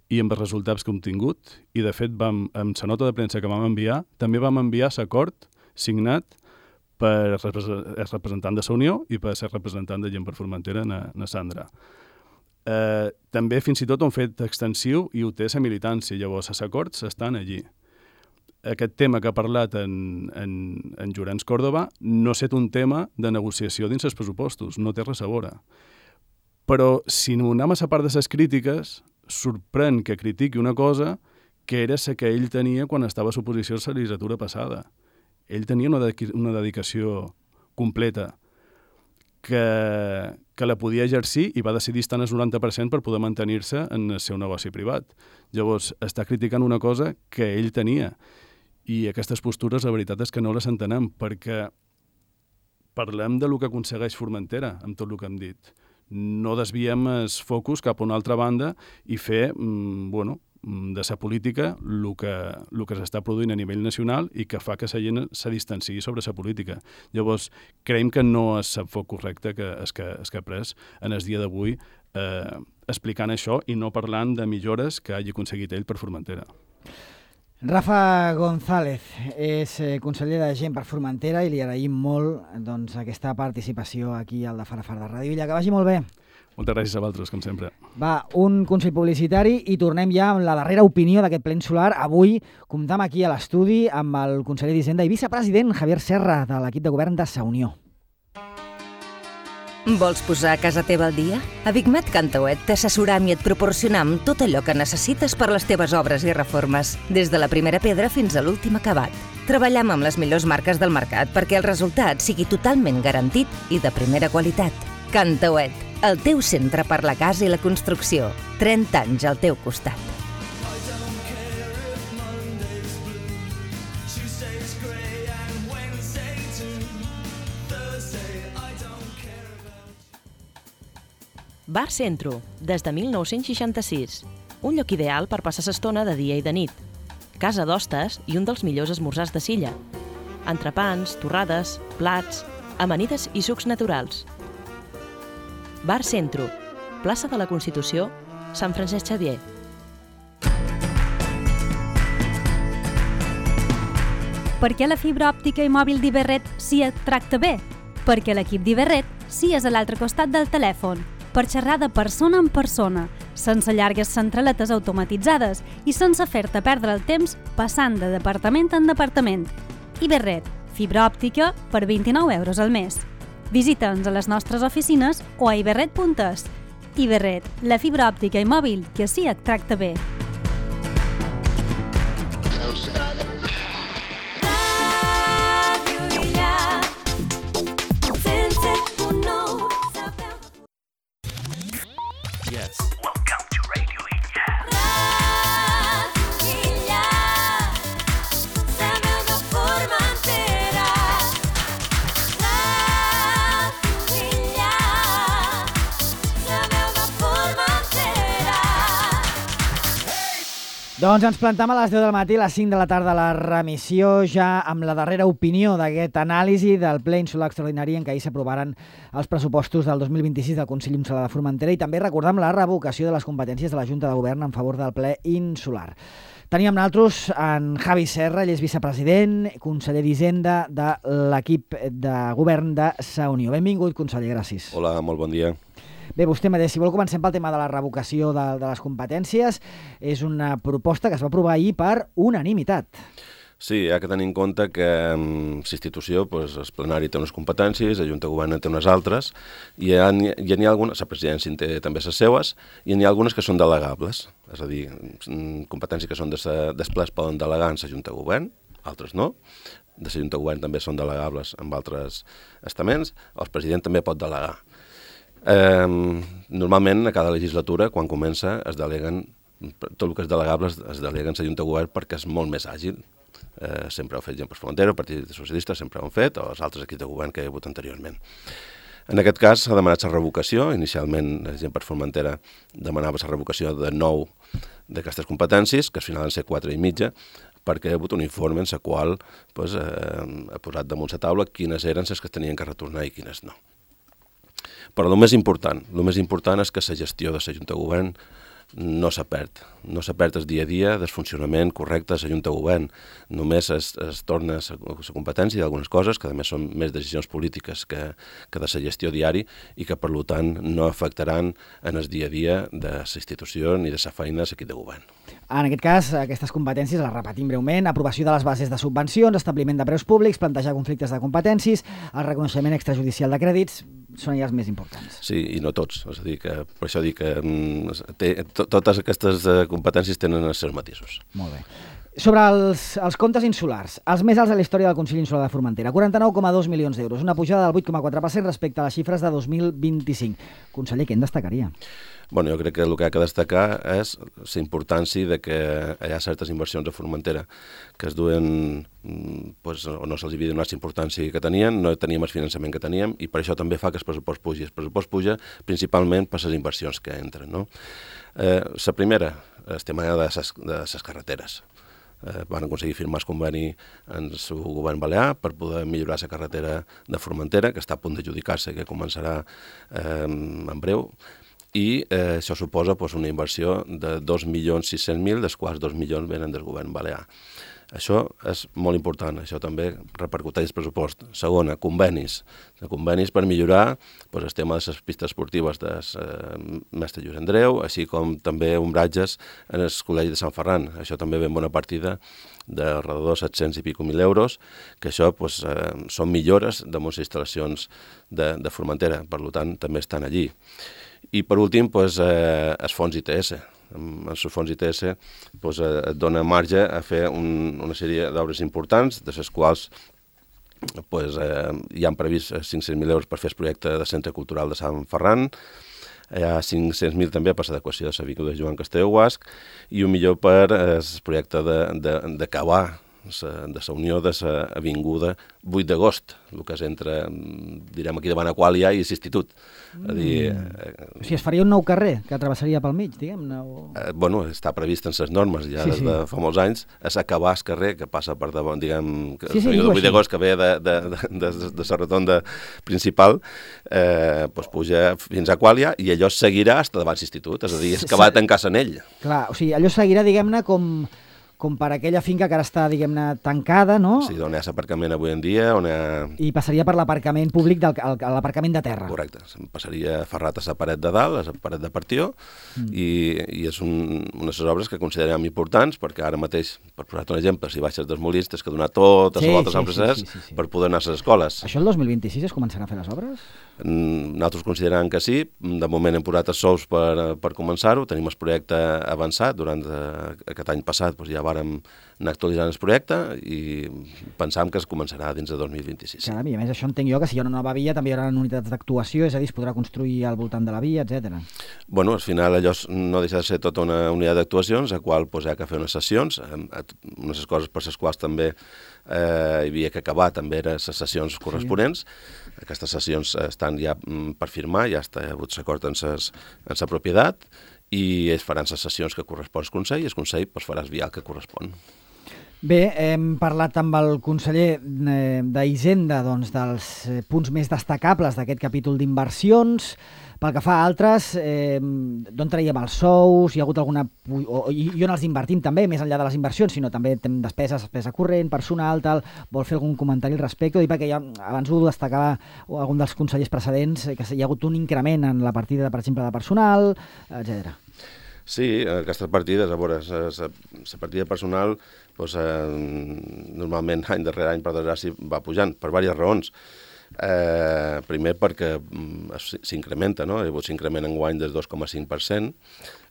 i amb els resultats que hem tingut. I, de fet, amb la nota de premsa que vam enviar, també vam enviar l'acord signat per el representant de la Unió i per ser representant de Gent per Formentera, na Sandra. També fins i tot ho han fet extensiu i ho té la militància, llavors els acords estan allí. Aquest tema que ha parlat en Llorenç Córdoba no ha estat un tema de negociació dins els pressupostos, no té res a veure. Però si anem a la part de les crítiques, sorprèn que critiqui una cosa que era la que ell tenia quan estava a l'oposició a la legislatura passada. Ell tenia una dedicació completa que la podia exercir i va decidir estar en el 90% per poder mantenir-se en el seu negoci privat. Llavors, està criticant una cosa que ell tenia. I aquestes postures, la veritat és que no les entenem, perquè parlem de lo que aconsegueix Formentera, amb tot el que hem dit. No desviem els focus cap a una altra banda i fer, de la política el que s'està produint a nivell nacional i que fa que la gent se distanciï sobre la política. Llavors, creiem que no és el foc correcte que ha pres en el dia d'avui explicant això i no parlant de millores que hagi aconseguit ell per Formentera. Rafa González és conseller de Gent per Formentera i li agraïm molt aquesta participació aquí al de Farafar de Ràdio Illa. Que vagi molt bé. Moltes gràcies a vosaltres, com sempre. Va, un consell publicitari i tornem ja amb la darrera opinió d'aquest ple insular. Avui comptam aquí a l'estudi amb el conseller d'Hisenda i vicepresident Javier Serra de l'equip de govern de Sa Unió. Vols posar casa teva al dia? A Bigmat Cantauet t'assessoram i et proporcionam tot allò que necessites per les teves obres i reformes, des de la primera pedra fins a l'últim acabat. Treballem amb les millors marques del mercat perquè el resultat sigui totalment garantit i de primera qualitat. Cantauet, el teu centre per la casa i la construcció. 30 anys al teu costat. Bar Centro, des de 1966. Un lloc ideal per passar l'estona de dia i de nit. Casa d'hostes i un dels millors esmorzars de Silla. Entrepans, torrades, plats, amanides i sucs naturals. Bar Centro, plaça de la Constitució, Sant Francesc Xavier. Per què la fibra òptica i mòbil d'Iberret sí et tracta bé? Perquè l'equip d'Iberret sí és a l'altre costat del telèfon, per xerrar de persona en persona, sense llargues centraletes automatitzades i sense fer-te perdre el temps passant de departament en departament. Iberret, Fibra òptica per 29 euros al mes. Visita'ns a les nostres oficines o a iberret.es. Iberret, la fibra òptica i mòbil que sí et tracta bé. Ràdio Illa, 107.9, sabeu. Yes. Welcome to Radio Illa. Ràdio Illa, sabeu de Formentera. Ràdio Illa, sabeu de Formentera. Doncs ens plantem a les 10 del matí, a les 5 de la tarda, la remissió, ja amb la darrera opinió d'aquest anàlisi del ple insular extraordinari en què ahir s'aprovaren els pressupostos del 2026 del Consell Insular de Formentera i també recordam la revocació de les competències de la Junta de Govern en favor del ple insular. Teníem nosaltres en Javi Serra, ell és vicepresident, conseller d'Hisenda de l'equip de govern de Sa Unió. Benvingut, conseller, gràcies. Hola, molt bon dia. Bé, vostè mateix, si vol comencem pel tema de la revocació de les competències. És una proposta que es va aprovar ahir per unanimitat. Sí, hi ha que tenir en compte que l'institució, doncs, el plenari té unes competències, la Junta de Govern en té unes altres, i n'hi ha algunes, la presidència en té també les seues, i n'hi ha algunes que són delegables, és a dir, competències que són dels plens poden delegar en la Junta de Govern, altres no, de la Junta de Govern també són delegables amb altres estaments, el president també pot delegar. Normalment, a cada legislatura, quan comença, es deleguen, tot el que és delegable es delega en la Junta de Govern perquè és molt més àgil. Sempre ho ha fet gent per Formentera, el Partit Socialista sempre ho han fet, o els altres equips de govern que hi ha hagut anteriorment. En aquest cas s'ha demanat la revocació, inicialment la gent per Formentera demanava la revocació de 9 d'aquestes competències, que al final van ser 4 i mitja, perquè hi ha hagut un informe en el qual ha posat damunt la taula quines eren les que es tenien que retornar i quines no. Però el més important és que la gestió de la Junta de Govern no s'ha perd. No s'ha perd el dia a dia del funcionament correcte de la Junta de Govern. Només es torna la competència d'algunes coses, que a més són més decisions polítiques que de la gestió diari i que, per tant, no afectaran en el dia a dia de la institució ni de la feina de l'equip de govern. En aquest cas, aquestes competències, les repetim breument: aprovació de les bases de subvencions, establiment de preus públics, plantejar conflictes de competències, el reconeixement extrajudicial de crèdits, són ja els més importants. Sí, i no tots. És a dir, que per això dic que totes aquestes competències tenen els seus matisos. Molt bé. Sobre els comptes insulars, els més alts de la història del Consell Insular de Formentera, 49,2 milions d'euros, una pujada del 8,4% respecte a les xifres de 2025. Conseller, què en destacaria? Bueno, jo crec que el que ha de destacar és la importància de que hi ha certes inversions a Formentera que es duen, o no se'ls havia donat la importància que tenien, no teníem el finançament que teníem, i per això també fa que el pressupost pugi. El pressupost puja principalment per les inversions que entren, no? La primera, el tema de les carreteres. Van aconseguir firmar el conveni en el seu govern balear per poder millorar la carretera de Formentera, que està a punt d'adjudicar-se, que començarà en breu, i això suposa una inversió de 2.600.000, dels quals 2 milions venen del govern balear. Això és molt important, això també repercuteix el pressupost. Segona, convenis per millorar el tema de les pistes esportives de Mestre Lluís Andreu, així com també ombratges en el Col·legi de Sant Ferran. Això també ve en bona partida d'alrededor de 700 i pico mil euros, que això són millores damunt les instal·lacions de Formentera, per tant també estan allí. I per últim, els fons ITS. Els fons ITS et dona marge a fer una sèrie d'obres importants, de les quals hi han previst 500.000 euros per fer el projecte de Centre Cultural de Sant Ferran, hi ha 500.000 també per l'adequació de l'avinguda Joan Castelló Guasc i un milió per el projecte d'acabar de la unió de l'avinguda 8 d'agost, el que és entre, direm, aquí davant Aquàlia i l'Institut. O sigui, es faria un nou carrer que travessaria pel mig, diguem-ne? Bueno, està previst en les normes ja des de fa molts anys, és acabar el carrer que passa per davant, diguem, l'avinguda 8 d'agost que ve de la rotonda principal, puja fins a Aquàlia i allò seguirà fins davant l'Institut, és a dir, és que va tancar-se en ell. Clar, o sigui, allò seguirà, diguem-ne, com com per aquella finca que ara està, diguem-ne, tancada, no? Sí, on hi ha l'aparcament avui en dia, on hi ha... I passaria per l'aparcament públic, l'aparcament de terra. Correcte, passaria ferrat a la paret de dalt, a la paret de partió, i és unes obres que considerem importants, perquè ara mateix, per posar-te un exemple, si baixes dels Molins, tens que donar totes les voltes al procés per poder anar a les escoles. Això el 2026 es començarà a fer les obres? Nosaltres considerem que sí. De moment hem posat els sous per començar-ho. Tenim el projecte avançat. Durant aquest any passat ja vàrem anar actualitzant el projecte i pensam que es començarà dins de 2026. Caram, i a més això entenc jo que si hi ha una nova via també hi haurà unitats d'actuació, és a dir, es podrà construir al voltant de la via, etc. Bueno, al final allò no deixa de ser tota una unitat d'actuacions, a qual hi ha que fer unes sessions, unes coses per les quals també hi havia que acabar també eren les sessions corresponents. Aquestes sessions estan ja per firmar, ja ha hagut l'acord en la propietat, i es faran les sessions que correspon al Consell, i el Consell farà el vial que correspon. Bé, hem parlat amb el conseller d'Hisenda dels punts més destacables d'aquest capítol d'inversions. Pel que fa a altres, d'on traiem els sous? Hi ha hagut alguna... I on els invertim també, més enllà de les inversions, sinó també despesa corrent, personal, tal. Vol fer algun comentari al respecte? Ho dic perquè abans ho destacava algun dels consellers precedents, que hi ha hagut un increment en la partida, per exemple, de personal, etc. Sí, aquestes partides, a veure, la partida personal normalment any darrere any per desgràcia va pujant per diverses raons. Primer perquè s'incrementa, no? Hi ha hagut l'increment enguany del 2,5%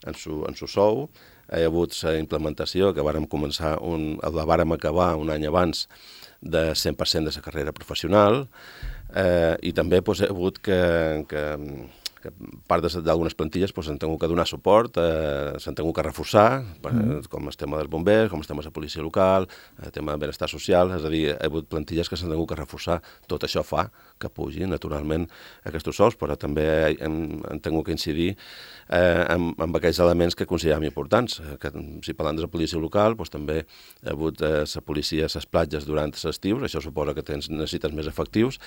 en su sou. Hi ha hagut la implementació que la vàrem acabar un any abans de 100% de la carrera professional, i també hi ha hagut que part d'algunes plantilles s'han tingut que donar suport, s'han tingut que reforçar, com el tema dels bombers, com el tema de la policia local, el tema del benestar social, és a dir, hi ha hagut plantilles que s'han tingut que reforçar. Tot això fa que pugin, naturalment, aquests sous, però també hem tingut que incidir amb aquells elements que considerem importants. Si parlem de la policia local, també hi ha hagut la policia a les platges durant l'estiu, això suposa que necessites més efectius,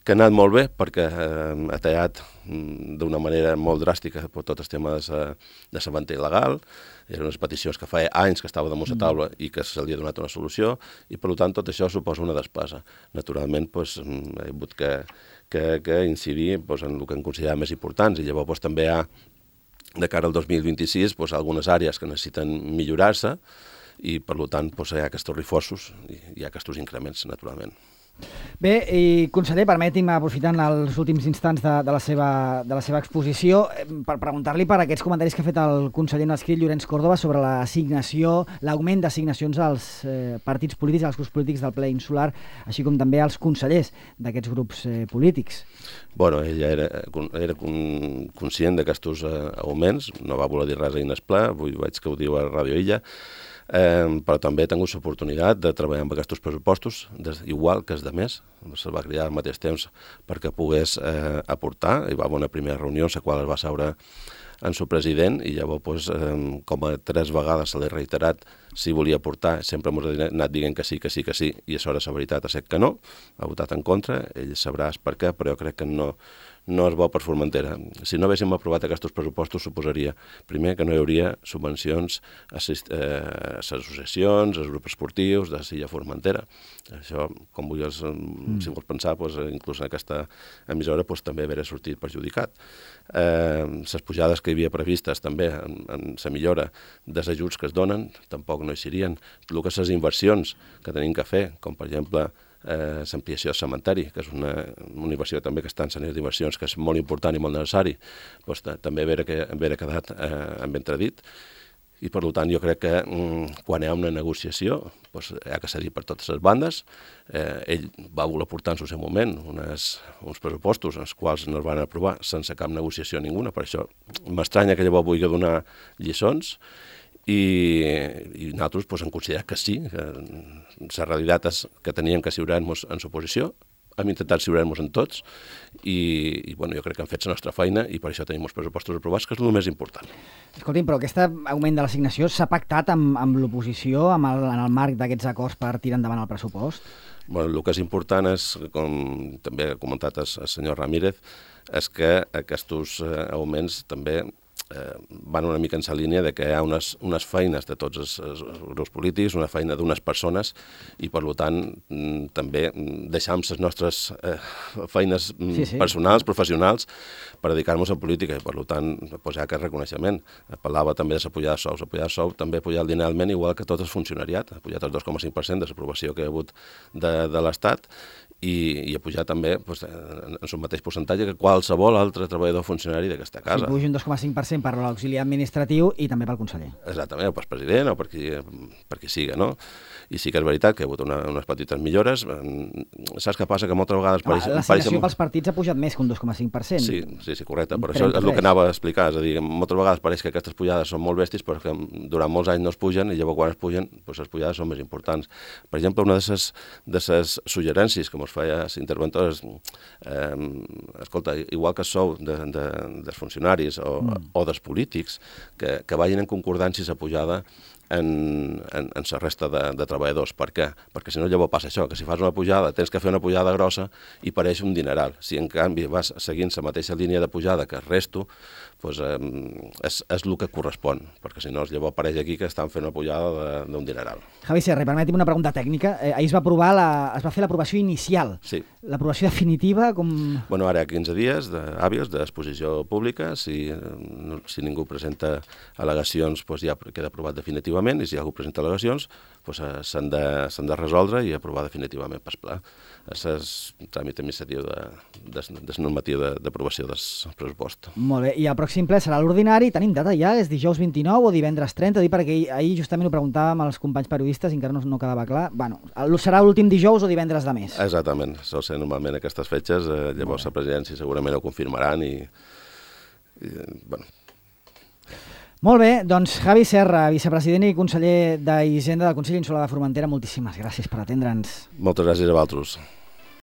que ha anat molt bé perquè ha tallat d'una manera molt dràstica tot el tema de la venda il·legal. Eren unes peticions que fa anys que estava damunt la taula i que se li ha donat una solució, i per tant tot això suposa una despesa. Naturalment ha hagut que incidir en el que en considerem més importants, i llavors també hi ha, de cara al 2026, algunes àrees que necessiten millorar-se, i per tant hi ha aquests reforços i hi ha aquests increments, naturalment. Bé, i conseller, permeti'm, aprofitant els últims instants de la seva exposició, per preguntar-li per aquests comentaris que ha fet el conseller en escrit Llorenç Córdoba sobre l'augment d'assignacions als partits polítics, als grups polítics del ple insular, així com també als consellers d'aquests grups polítics. Bueno, ell era conscient d'aquests augments, no va voler dir res ahir en el ple, avui veig que ho diu a Ràdio Illa, però també he tingut l'oportunitat de treballar amb aquests pressupostos, igual que els de més. Se'l va cridar al mateix temps perquè pogués aportar. Hi va haver una primera reunió en la qual es va seure en el president, i llavors, com a 3 vegades se l'he reiterat si volia aportar, sempre m'ha anat dient que sí, i a sobre la veritat ha set que no, ha votat en contra, ell sabrà per què, però jo crec que no és bo per Formentera. Si no haguéssim aprovat aquests pressupostos, suposaria, primer, que no hi hauria subvencions a les associacions, als grups esportius de Silla Formentera. Això, com vulguis, si vols pensar, inclús en aquesta emissora també hauria sortit perjudicat. Les pujades que hi havia previstes també en la millora dels ajuts que es donen tampoc no hi serien. El que les inversions que tenim que fer, com per exemple l'ampliació del cementeri, que és una inversió també que està en línies d'inversions, que és molt important i molt necessari, també hauria quedat en entredit. I per tant jo crec que quan hi ha una negociació hi ha que cedir per totes les bandes. Ell va voler portar en el seu moment uns pressupostos els quals no es van aprovar sense cap negociació ninguna, per això m'estranya que llavors vulgui donar lliçons, i nosaltres hem considerat que sí, que la realitat és que teníem que assegurar-nos en l'oposició, hem intentat assegurar-nos en tots, i jo crec que hem fet la nostra feina, i per això tenim els pressupostos aprovats, que és el més important. Escolti'm, però aquest augment de l'assignació s'ha pactat amb l'oposició en el marc d'aquests acords per tirar endavant el pressupost? El que és important és, com també ha comentat el senyor Ramírez, és que aquests augments també van una mica en la línia de que hi ha unes feines de tots els grups polítics, una feina d'unes persones, i per tant també deixam les nostres feines personals, professionals, per dedicar-nos a política, i per tant pues, hi ha aquest reconeixement. Parlava també de la pujada de sous. La pujada de sous també ha pujat linealment, igual que tot el funcionariat, ha pujat el 2,5% de l'aprovació que hi ha hagut de l'Estat, i ha pujat també pues, en el mateix percentatge que qualsevol altre treballador funcionari d'aquesta casa. Si puja un 2,5% per l'auxiliar administratiu i també pel conseller. Exactament, o pel president o per qui siga, no? I sí que és veritat que hi ha hagut unes petites millores. Saps què passa? Que moltes vegades... L'assignació pels partits ha pujat més que un 2,5%. Sí, correcte. Per això és el que anava a explicar. És a dir, moltes vegades pareix que aquestes pujades són molt bèsties, però que durant molts anys no es pugen, i llavors quan es pugen, doncs les pujades són més importants. Per exemple, una de les suggerències que ens feia les interventores, escolta, igual que sou dels funcionaris o dels polítics, que vagin en concordància la pujada en la resta de treballadors. Per què? Perquè si no llavors passa això, que si fas una pujada tens que fer una pujada grossa i pareix un dineral. Si en canvi vas seguint la mateixa línia de pujada que el resto, doncs és el que correspon, perquè si no llavors apareix aquí que estan fent una pujada d'un dineral. Javi Serra, permeti'm una pregunta tècnica. Ahir es va fer l'aprovació inicial. Sí. L'aprovació definitiva, com... Bueno, ara hi ha 15 dies hàbils d'exposició pública. Si ningú presenta al·legacions, doncs ja queda aprovat definitivament, i si algú presenta al·legacions, doncs s'han de resoldre i aprovar definitivament per pla. És el tràmit administratiu de normativa d'aprovació del pressupost. Molt bé, i el pròxim ple serà l'ordinari. Tenim data ja? És dijous 29 o divendres 30? Perquè ahir justament ho preguntàvem als companys periodistes i encara no quedava clar. Bueno, serà l'últim dijous o divendres de mes? Exactament, sol ser normalment aquestes fetges, llavors la presidència segurament ho confirmaran i bueno. Molt bé, doncs Javi Serra, vicepresident i conseller d'Hisenda del Consell Insular de Formentera, moltíssimes gràcies per atendre'ns. Moltes gràcies a vosaltres.